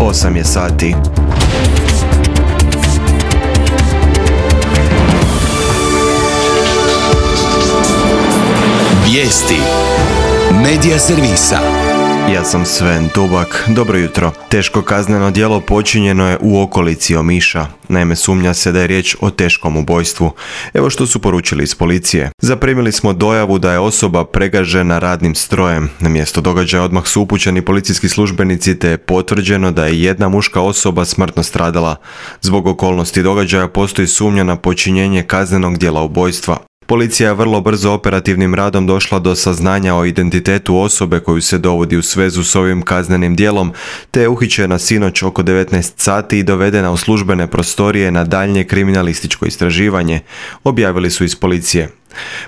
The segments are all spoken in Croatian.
8 je sati. Vijesti Medija servisa. Ja sam Sven Dubak. Dobro jutro. Teško kazneno djelo počinjeno je u okolici Omiša. Naime, sumnja se da je riječ o teškom ubojstvu. Evo što su poručili iz policije. Zaprimili smo dojavu da je osoba pregažena radnim strojem. Na mjesto događaja odmah su upućeni policijski službenici te je potvrđeno da je jedna muška osoba smrtno stradala. Zbog okolnosti događaja postoji sumnja na počinjenje kaznenog djela ubojstva. Policija je vrlo brzo operativnim radom došla do saznanja o identitetu osobe koju se dovodi u svezu s ovim kaznenim djelom, te je uhićena sinoć oko 19 sati i dovedena u službene prostorije na daljnje kriminalističko istraživanje, objavili su iz policije.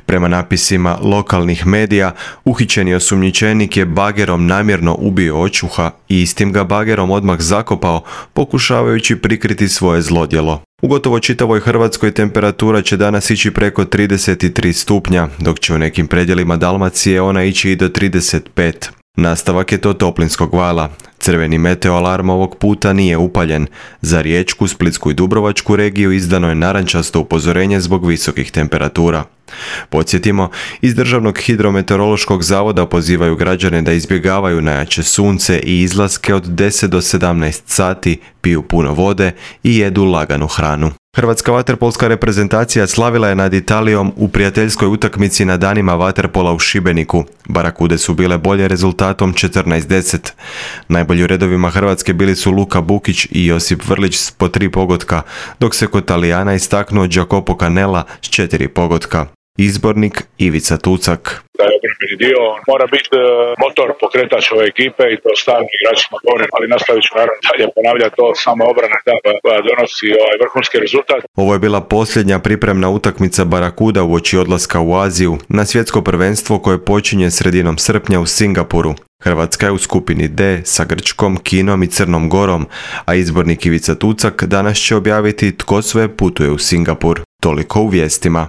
Prema napisima lokalnih medija, uhićeni osumnjičenik je bagerom namjerno ubio očuha i istim ga bagerom odmah zakopao, pokušavajući prikriti svoje zlodjelo. U gotovo čitavoj Hrvatskoj temperatura će danas ići preko 33 stupnja, dok će u nekim predjelima Dalmacije ona ići i do 35. Nastavak je to toplinskog vala. Crveni meteoalarm ovog puta nije upaljen. Za Riječku, Splitsku i Dubrovačku regiju izdano je narančasto upozorenje zbog visokih temperatura. Podsjetimo, iz Državnog hidrometeorološkog zavoda pozivaju građane da izbjegavaju najjače sunce i izlaske od 10 do 17 sati, piju puno vode i jedu laganu hranu. Hrvatska vaterpolska reprezentacija slavila je nad Italijom u prijateljskoj utakmici na danima vaterpola u Šibeniku. Barakude su bile bolje rezultatom 14-10. Najbolji u redovima Hrvatske bili su Luka Bukić i Josip Vrlić s po 3 pogotka, dok se kod Talijana istaknuo Jacopo Canella s 4 pogotka. Izbornik Ivica Tucak. Da je obrambeni dio, mora biti motor, pokretač ove ekipe i to stalno igračima govorim, ali nastavit ću naravno dalje ponavljati to, samo obrana koja donosi vrhunski rezultat. Ovo je bila posljednja pripremna utakmica Barakuda uoči odlaska u Aziju na svjetsko prvenstvo koje počinje sredinom srpnja u Singapuru. Hrvatska je u skupini D sa Grčkom, Kinom i Crnom Gorom, a izbornik Ivica Tucak danas će objaviti tko sve putuje u Singapur. Toliko u vijestima.